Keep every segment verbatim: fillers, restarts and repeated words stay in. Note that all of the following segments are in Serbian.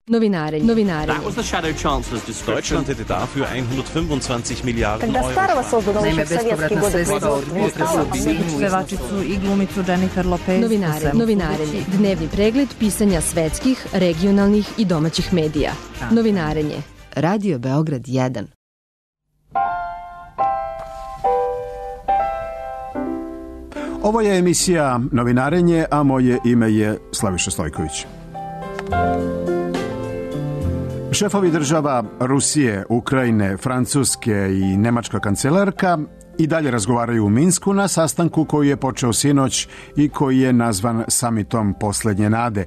Novinarenje. Novinarenje. That was the Shadow Chancellor's description. Deutschland hätte dafür hundertfünfundzwanzig Miliarden Когда старого создано Naime, еще в советские bespovratna годы sredstva od производства pevačicu i glumicu Jennifer Lopez. Novinarenje. Novinarenje. Dnevni pregled pisanja svetskih, regionalnih i domaćih medija. Novinarenje. Radio Beograd jedan. Ovo je emisija Novinarenje, a moje ime je Slaviša Stojković. Šefovi država Rusije, Ukrajine, Francuske i nemačka kancelarka i dalje razgovaraju u Minsku na sastanku koji je počeo sinoć i koji je nazvan samitom Poslednje nade.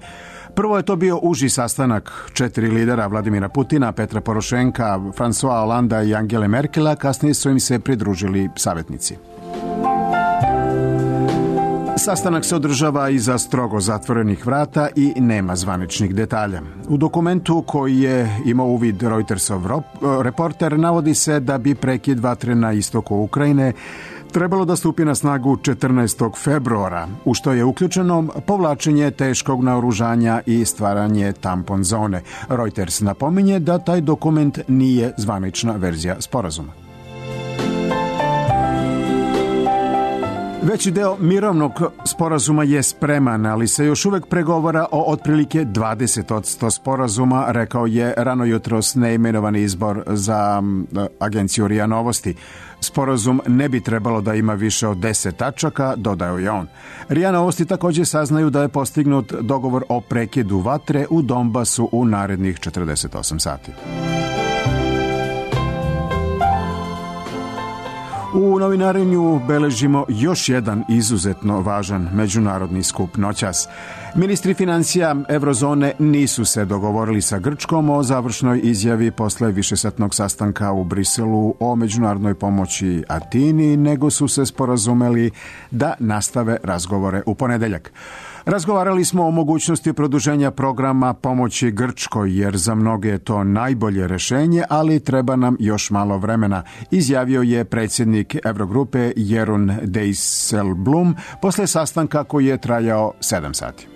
Prvo je to bio uži sastanak četiri lidera Vladimira Putina, Petra Porošenka, François Hollanda i Angele Merkela, kasnije su im se pridružili savjetnici. Sastanak se održava iza strogo zatvorenih vrata i nema zvaničnih detalja. U dokumentu koji je imao uvid Reutersov reporter navodi se da bi prekid vatre na istoku Ukrajine trebalo da stupi na snagu četrnaestog februara, u što je uključeno povlačenje teškog naoružanja i stvaranje tampon zone. Reuters napominje da taj dokument nije zvanična verzija sporazuma. Veći deo mirovnog sporazuma je spreman, ali se još uvek pregovara o otprilike dvadeset posto sporazuma, rekao je rano jutros neimenovani izbor za agenciju R I A Novosti. Sporazum ne bi trebalo da ima više od deset tačaka, dodao je on. R I A Novosti također saznaju da je postignut dogovor o prekidu vatre u Donbasu u narednih četrdeset osam sati. U novinarenju beležimo još jedan izuzetno važan međunarodni skup noćas. Ministri financija Evrozone nisu se dogovorili sa Grčkom o završnoj izjavi posle višesatnog sastanka u Briselu o međunarodnoj pomoći Atini, nego su se sporazumeli da nastave razgovore u ponedeljak. Razgovarali smo o mogućnosti produženja programa pomoći Grčkoj, jer za mnoge je to najbolje rešenje, ali treba nam još malo vremena, izjavio je predsjednik Evrogrupe Jeroen Dijsselbloem posle sastanka koji je trajao sedam sati.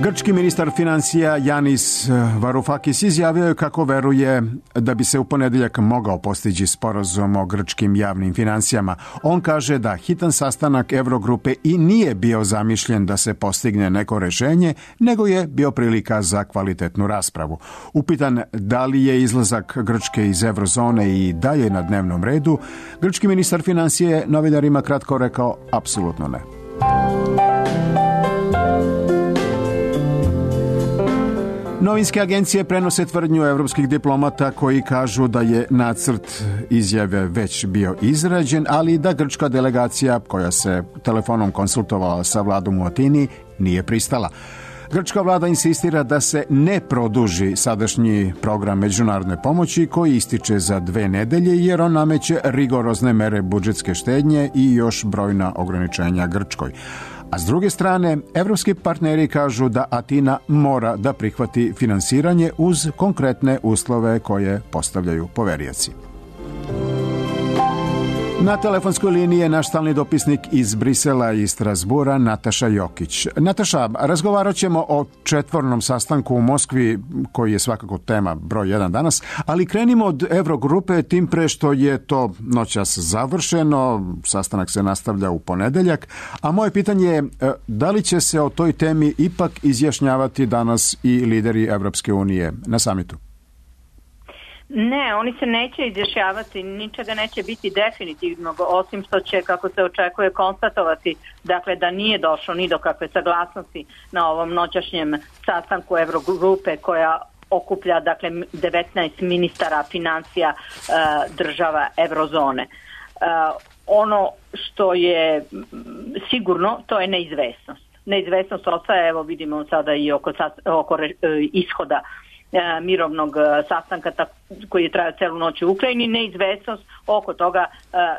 Grčki ministar financija Yanis Varoufakis izjavio je kako veruje da bi se u ponedeljak mogao postići sporazum o grčkim javnim financijama. On kaže da hitan sastanak Evrogrupe i nije bio zamišljen da se postigne neko rešenje, nego je bio prilika za kvalitetnu raspravu. Upitan da li je izlazak Grčke iz Evrozone i dalje na dnevnom redu, grčki ministar financije novinarima kratko rekao apsolutno ne. Novinske agencije prenose tvrdnju evropskih diplomata koji kažu da je nacrt izjave već bio izrađen, ali da grčka delegacija koja se telefonom konsultovala sa vladom u Atini nije pristala. Grčka vlada insistira da se ne produži sadašnji program međunarodne pomoći koji ističe za dve nedelje jer on nameće rigorozne mere budžetske štednje i još brojna ograničenja Grčkoj. A s druge strane, evropski partneri kažu da Atina mora da prihvati finansiranje uz konkretne uslove koje postavljaju poverioci. Na telefonskoj liniji je naš stalni dopisnik iz Brisela i Strasbura, Nataša Jokić. Nataša, razgovarat ćemo o četvornom sastanku u Moskvi, koji je svakako tema broj jedan danas, ali krenimo od Evrogrupe, tim pre što je to noćas završeno, sastanak se nastavlja u ponedeljak, a moje pitanje je da li će se o toj temi ipak izjašnjavati danas i lideri Evropske unije na samitu? Ne, oni se neće izjašnjavati, ničega neće biti definitivnog, osim što će, kako se očekuje, konstatovati dakle, da nije došlo ni do kakve saglasnosti na ovom noćašnjem sastanku Evrogrupe koja okuplja dakle, devetnaest ministara financija e, država Evrozone. E, ono što je sigurno, to je neizvesnost. Neizvesnost ostaje, evo vidimo sada i oko, oko e, ishoda mirovnog sastanka koji je trajao celu noć u Ukrajini, neizvesnost oko toga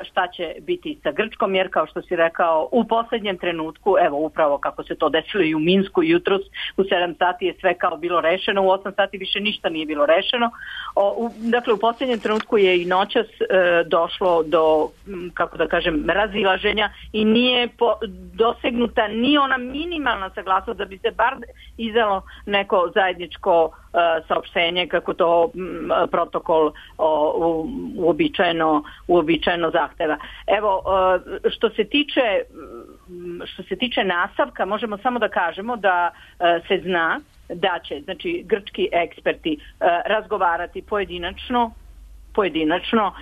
šta će biti sa Grčkom, jer kao što si rekao, u poslednjem trenutku, evo upravo kako se to desilo i u Minsku jutros, u sedam sati je sve kao bilo rešeno, u osam sati više ništa nije bilo rešeno. O, u, dakle, u poslednjem trenutku je i noćas e, došlo do, kako da kažem, razilaženja i nije po, dosegnuta ni ona minimalna saglasnost da bi se bar izdalo neko zajedničko saopštenje kako to m, protokol o, u, uobičajeno, uobičajeno zahteva. Evo, što se tiče što se tiče nastavka, možemo samo da kažemo da se zna da će, znači, grčki eksperti razgovarati pojedinačno pojedinačno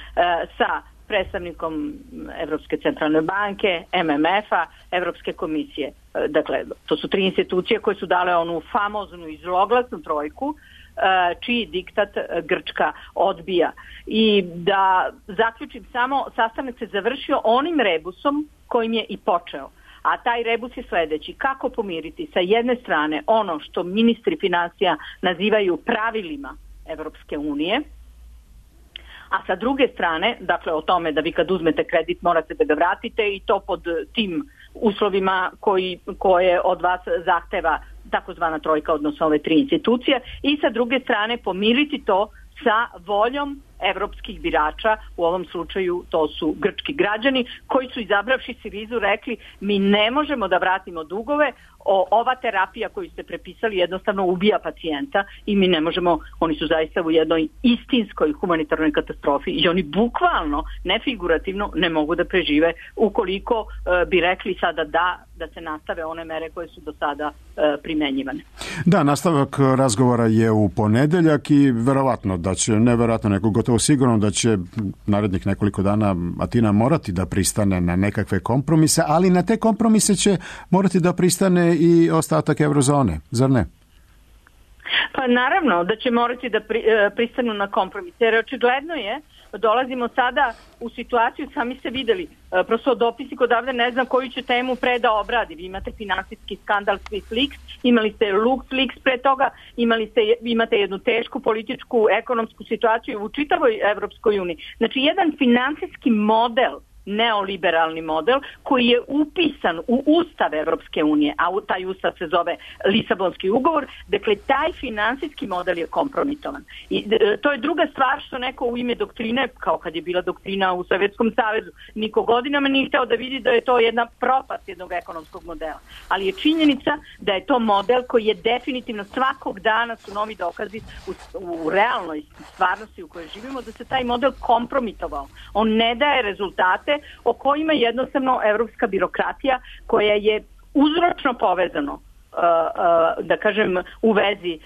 sa predstavnikom Evropske centralne banke, M M F-a, Evropske komisije. Dakle, to su tri institucije koje su dale onu famoznu i zloglasnu trojku, čiji diktat Grčka odbija. I da zaključim samo, sastanak se završio onim rebusom kojim je i počeo. A taj rebus je sledeći. Kako pomiriti sa jedne strane ono što ministri finansija nazivaju pravilima Evropske unije, a sa druge strane, dakle o tome da vi kad uzmete kredit morate da ga vratite i to pod tim uslovima koji, koje od vas zahteva takozvana trojka, odnosno ove tri institucije, i sa druge strane pomiriti to sa voljom evropskih birača, u ovom slučaju to su grčki građani, koji su izabravši Sirizu rekli mi ne možemo da vratimo dugove, o, ova terapija koju ste prepisali jednostavno ubija pacijenta i mi ne možemo, oni su zaista u jednoj istinskoj humanitarnoj katastrofi i oni bukvalno, ne figurativno, ne mogu da prežive ukoliko e, bi rekli sada da, da se nastave one mere koje su do sada e, primenjivane. Da, nastavak razgovora je u ponedeljak i verovatno da će, neverovatno neko gotovo sigurno da će narednih nekoliko dana Atina morati da pristane na nekakve kompromise, ali na te kompromise će morati da pristane i ostatak eurozone, zar ne? Pa naravno da će morati da pri, pristanu na kompromise, jer očigledno je, dolazimo sada u situaciju, sami ste videli, prosto dopisnik odavde ne znam koju će temu pre da obradi. Vi imate finansijski skandal SwissLeaks, imali ste LuxLeaks pre toga, imali ste, imate jednu tešku političku, ekonomsku situaciju u čitavoj Evropskoj uniji. Znači, jedan finansijski model, neoliberalni model koji je upisan u Ustav Evropske unije, a taj Ustav se zove Lisabonski ugovor, dakle taj finansijski model je kompromitovan. I e, to je druga stvar što neko u ime doktrine, kao kad je bila doktrina u Sovjetskom savezu, niko godinama nije hteo da vidi da je to jedna propast jednog ekonomskog modela. Ali je činjenica da je to model koji je definitivno svakog dana su novi dokazi u, u realnoj stvarnosti u kojoj živimo da se taj model kompromitovao. On ne daje rezultate o kojima jednostavno evropska birokratija koja je uzročno povezano da kažem u vezi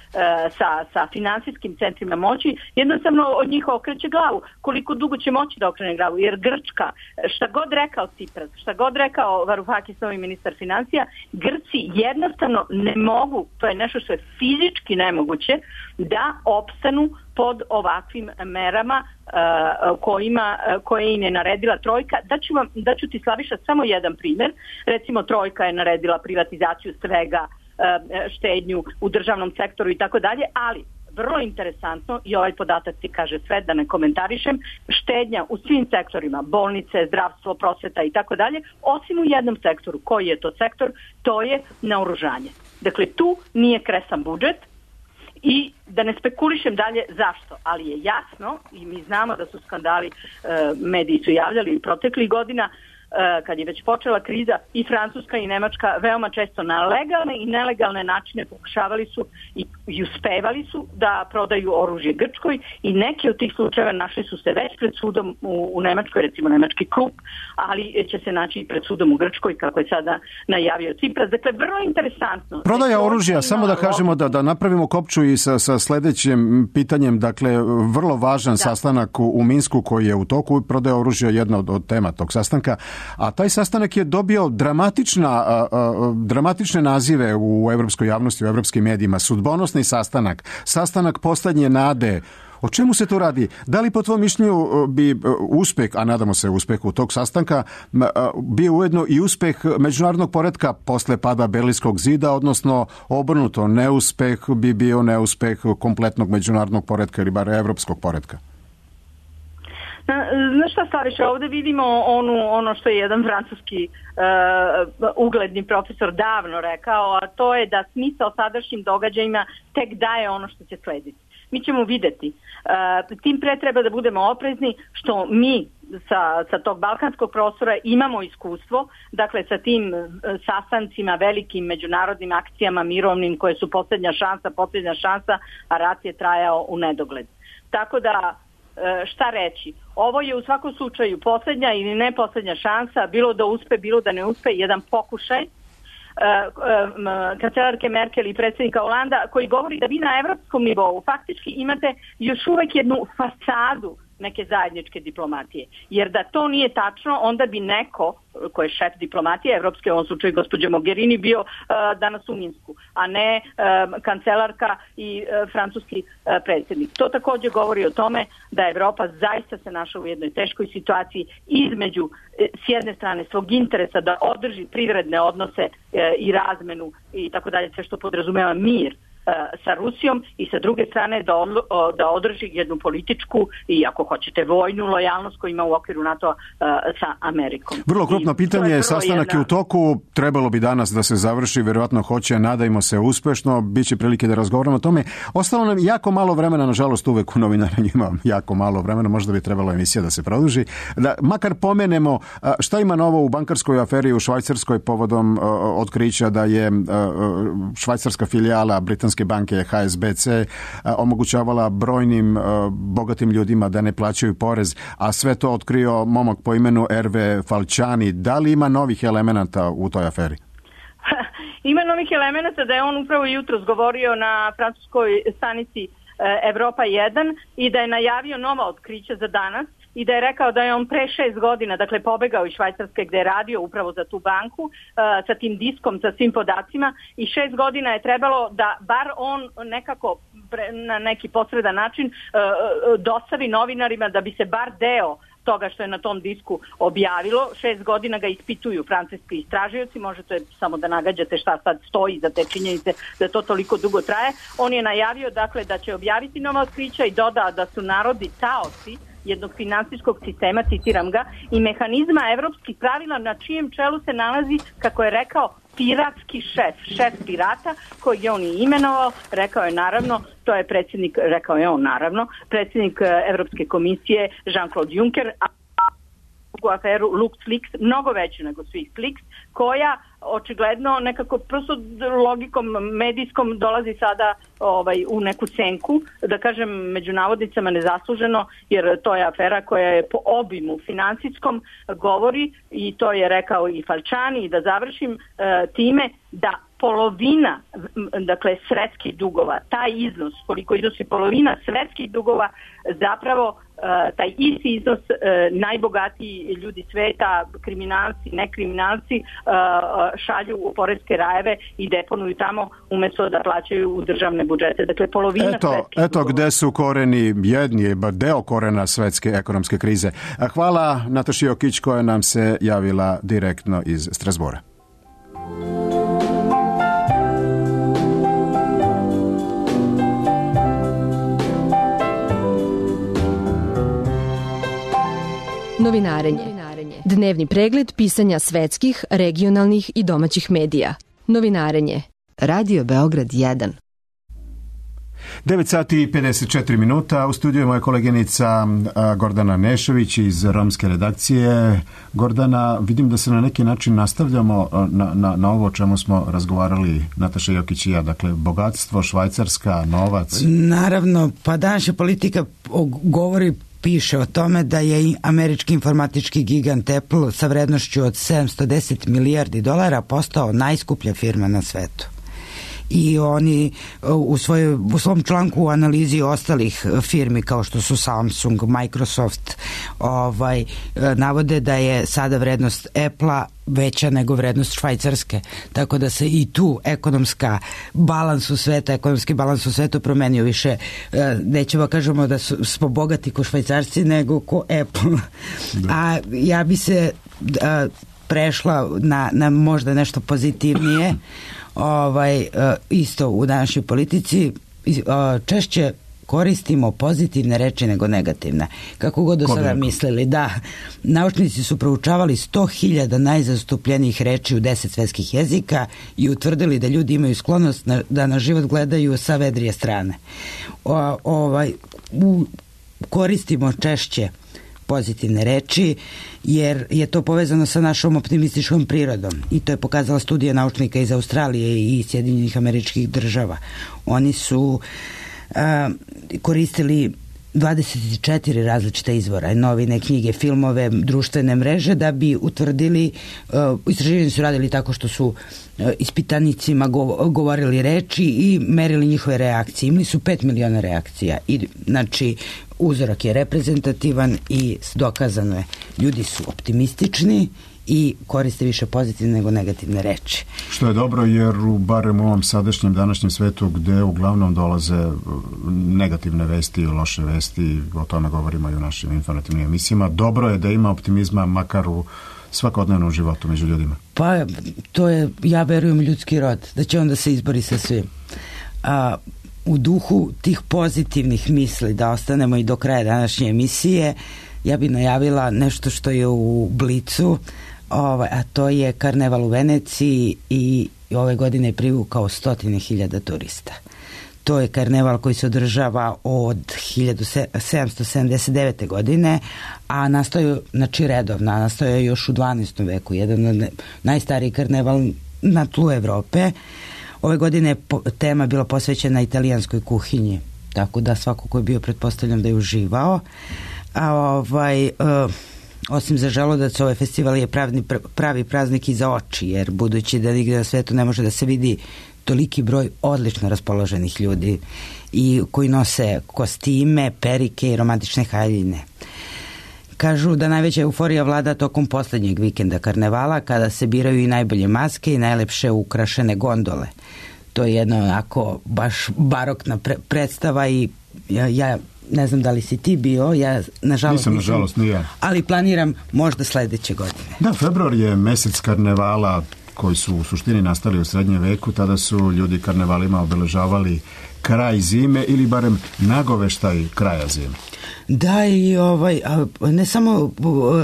sa, sa finansijskim centrima moći, jednostavno od njih okreće glavu. Koliko dugo će moći da okrene glavu? Jer Grčka, šta god rekao Cipras, šta god rekao Varoufakis, novi ministar financija, Grci jednostavno ne mogu, to je nešto što je fizički nemoguće, da opstanu pod ovakvim merama uh, kojima, uh, koje im je naredila trojka. Daću, vam, daću ti, Slaviša, samo jedan primjer. Recimo, trojka je naredila privatizaciju svega, uh, štednju u državnom sektoru i tako dalje, ali vrlo interesantno, i ovaj podatak ti kaže sve, da ne komentarišem, štednja u svim sektorima, bolnice, zdravstvo, prosveta i tako dalje, osim u jednom sektoru. Koji je to sektor? To je naoružanje. Dakle, tu nije kresan budžet. I da ne spekulišem dalje zašto, ali je jasno i mi znamo da su skandali, mediji su javljali proteklih godina, kad je već počela kriza, i Francuska i Nemačka veoma često na legalne i nelegalne načine pokušavali su i, i uspevali su da prodaju oružje Grčkoj i neki od tih slučajeva našli su se već pred sudom u, u Nemačkoj, recimo nemački klub, ali će se naći i pred sudom u Grčkoj, kako je sada najavio Cipras. Dakle, vrlo interesantno. Prodaja oružja, samo da kažemo da, da napravimo kopču i sa, sa sledećim pitanjem, dakle, vrlo važan da. sastanak u, u Minsku koji je u toku, prodaja oružja je jedna od, od tema tog sastanka. A taj sastanak je dobio dramatična, a, a, dramatične nazive u evropskoj javnosti, u evropskim medijima. Sudbonosni sastanak, sastanak poslednje nade, O čemu se tu radi? Da li po tvojom mišljenju bi uspeh, a nadamo se uspehu tog sastanka, bio ujedno i uspeh međunarodnog poretka posle pada Berlinskog zida, odnosno obrnuto, neuspeh bi bio neuspeh kompletnog međunarodnog poretka ili bar evropskog poretka? Znaš šta, Slaviša, ovdje vidimo onu, ono što je jedan francuski uh, ugledni profesor davno rekao, a to je da smisao sadašnjim događajima tek daje ono što će slediti. Mi ćemo vidjeti. Uh, tim pre treba da budemo oprezni što mi sa, sa tog balkanskog prostora imamo iskustvo, dakle sa tim uh, sastancima, velikim međunarodnim akcijama mirovnim koje su posljednja šansa, posljednja šansa, a rat je trajao u nedogled. Tako da šta reći? Ovo je u svakom slučaju posljednja ili ne posljednja šansa, bilo da uspe, bilo da ne uspe, jedan pokušaj kancelarke Merkel i predsjednika Holanda koji govori da vi na evropskom nivou faktički imate još uvijek jednu fasadu neke zajedničke diplomatije. Jer da to nije tačno, onda bi neko ko je šef diplomatije evropske, u ovom slučaju gospođa Mogherini, bio uh, danas u Minsku, a ne uh, kancelarka i uh, francuski uh, predsjednik. To također govori o tome da Evropa zaista se našla u jednoj teškoj situaciji između uh, s jedne strane svog interesa da održi privredne odnose uh, i razmenu i tako dalje, sve što podrazumeva mir sa Rusijom i sa druge strane da, odlo, da održi jednu političku i ako hoćete vojnu lojalnost koju ima u okviru NATO sa Amerikom. Vrlo krupno pitanje, je sastanak jedna... je u toku, trebalo bi danas da se završi, vjerojatno hoće, nadajmo se uspešno, bit će prilike da razgovaramo o tome. Ostalo nam jako malo vremena, nažalost uvek u novinarenju imam jako malo vremena, možda bi trebalo emisija da se produži. Da makar pomenemo šta ima novo u bankarskoj aferi u Švajcarskoj povodom otkrića da je švajcarska filijala britanske banke H S B C omogućavala brojnim bogatim ljudima da ne plaćaju porez, a sve to otkrio momak po imenu Erve Falciani. Da li ima novih elemenata u toj aferi? Ima novih elemenata da je on upravo jutros govorio na francuskoj stanici Evropa jedan i da je najavio nova otkrića za danas i da je rekao da je on pre šest godina, dakle pobegao iz Švajcarske gdje je radio upravo za tu banku uh, sa tim diskom, sa svim podacima i šest godina je trebalo da bar on nekako pre, na neki posredan način uh, dostavi novinarima da bi se bar deo toga što je na tom disku objavilo. Šest godina ga ispituju francuski istražioci, možete samo da nagađate šta sad stoji za te činjenice da to toliko dugo traje. On je najavio dakle da će objaviti nova otkrića i dodao da su narodi taoci jednog finansijskog sistema, citiram ga, i mehanizma evropskih pravila na čijem čelu se nalazi, kako je rekao, piratski šef, šef pirata koji je on i imenovao, rekao je naravno, to je predsjednik, rekao je on naravno, predsjednik Evropske komisije Jean-Claude Juncker, a u aferu LuxLeaks, mnogo veću nego SwissLeaks, koja očigledno nekako prosto logikom medijskom dolazi sada ovaj, u neku senku, da kažem među navodnicama nezasluženo, jer to je afera koja je po obimu financijskom govori i to je rekao i Falciani i da završim e, time da polovina, dakle svetskih dugova, taj iznos koliko iznosi polovina svetskih dugova zapravo uh, taj isti iznos uh, najbogatiji ljudi sveta, kriminalci, nekriminalci uh, šalju u poreske rajeve i deponuju tamo umjesto da plaćaju u državne budžete. Dakle, polovina eto, svetskih eto dugova. Gde su koreni, jedni je bar deo korena svetske ekonomske krize. Hvala Nataši Jokić koja nam se javila direktno iz Strasbura. Novinarenje. Dnevni pregled pisanja svetskih, regionalnih i domaćih medija. Novinarenje. Radio Beograd jedan. devet sati i pedeset četiri minuta. U studiju je moja koleginica Gordana Nešović iz romske redakcije. Gordana, vidim da se na neki način nastavljamo na, na, na ovo o čemu smo razgovarali Nataša Jokić i ja. Dakle, bogatstvo, Švajcarska, novac. Naravno, pa današnja politika govori piše o tome da je američki informatički gigant Apple sa vrednošću od sedamsto deset milijardi dolara postao najskuplja firma na svetu. i oni u, svojoj, u svom članku u analizi ostalih firmi kao što su Samsung, Microsoft, ovaj, navode da je sada vrednost Apple-a veća nego vrednost Švajcarske, tako da se i tu ekonomska balans u sveta, ekonomski balans u svetu promenio više, nećemo kažemo da su, smo bogati ko Švajcarci nego ko Apple. Da. A ja bi se a, prešla na, na možda nešto pozitivnije, ovaj, a, isto u današnjoj politici, a, češće koristimo pozitivne reči nego negativne. Kako god do Ko sada mislili, da. Naučnici su proučavali sto hiljada najzastupljenijih reči u deset svetskih jezika i utvrdili da ljudi imaju sklonost na, da na život gledaju sa vedrije strane. O, ovaj, u, koristimo češće pozitivne reči, jer je to povezano sa našom optimističkom prirodom i to je pokazala studija naučnika iz Australije i Sjedinjenih Američkih Država. Oni su a, koristili dvadeset četiri različita izvora, novine, knjige, filmove, društvene mreže da bi utvrdili, uh, istraživanje su radili tako što su uh, ispitanicima go- govorili reči i merili njihove reakcije. Imali su pet miliona reakcija i znači uzorak je reprezentativan i dokazano je. Ljudi su optimistični i koriste više pozitivne nego negativne reči. Što je dobro jer u barem u ovom sadašnjem današnjem svetu gde uglavnom dolaze negativne vesti i loše vesti, o tome govorimo i u našim informativnim emisijama, dobro je da ima optimizma makar u svakodnevnom životu među ljudima. Pa to je, ja verujem, ljudski rod, da će on da se izbori sa svim. A, u duhu tih pozitivnih misli, da ostanemo i do kraja današnje emisije, ja bih najavila nešto što je u Blicu, ovaj, a to je karneval u Veneciji i ove godine je privukao stotine hiljada turista. To je karneval koji se održava od hiljadu sedamsto sedamdeset devete. godine, a nastoje, znači redovno, nastoje još u dvanaestom veku, jedan od najstariji karneval na tlu Evrope. Ove godine je tema bila posvećena italijanskoj kuhinji, tako da svako ko je bio, pretpostavljam da je uživao. A ovaj, uh, osim za želudac, ovaj festival je pravi, pravi praznik i za oči, jer budući da nigde na svetu ne može da se vidi toliki broj odlično raspoloženih ljudi i koji nose kostime, perike i romantične haljine. Kažu da najveća euforija vlada tokom poslednjeg vikenda karnevala, kada se biraju i najbolje maske i najlepše ukrašene gondole. To je jedna onako baš barokna pre- predstava i ja, ja ne znam da li si ti bio, ja nažalost nisam, nisam nažalost, nije. Ali planiram možda sledeće godine. Da, februar je mesec karnevala koji su u suštini nastali u srednjem veku, tada su ljudi karnevalima obeležavali kraj zime ili barem nagoveštaj kraja zime. Da, i ovaj, ne samo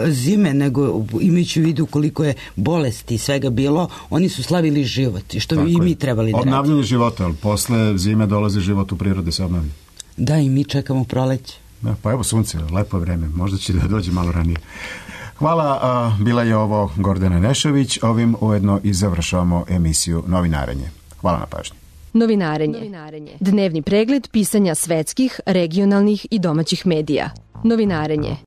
zime, nego imajući u vidu koliko je bolesti i svega bilo, oni su slavili život i što tako i mi trebali da radimo. Obnavljanje života, ali posle zime dolazi život u prirodi se obnavlja. Da, i mi čekamo proleće. Da, pa evo sunce, lepo vreme, možda će da dođe malo ranije. Hvala, a, bila je ovo Gordana Nešović, ovim ujedno i završavamo emisiju Novinarenje. Hvala na pažnji. Novinarenje. Dnevni pregled pisanja svetskih, regionalnih i domaćih medija. Novinarenje.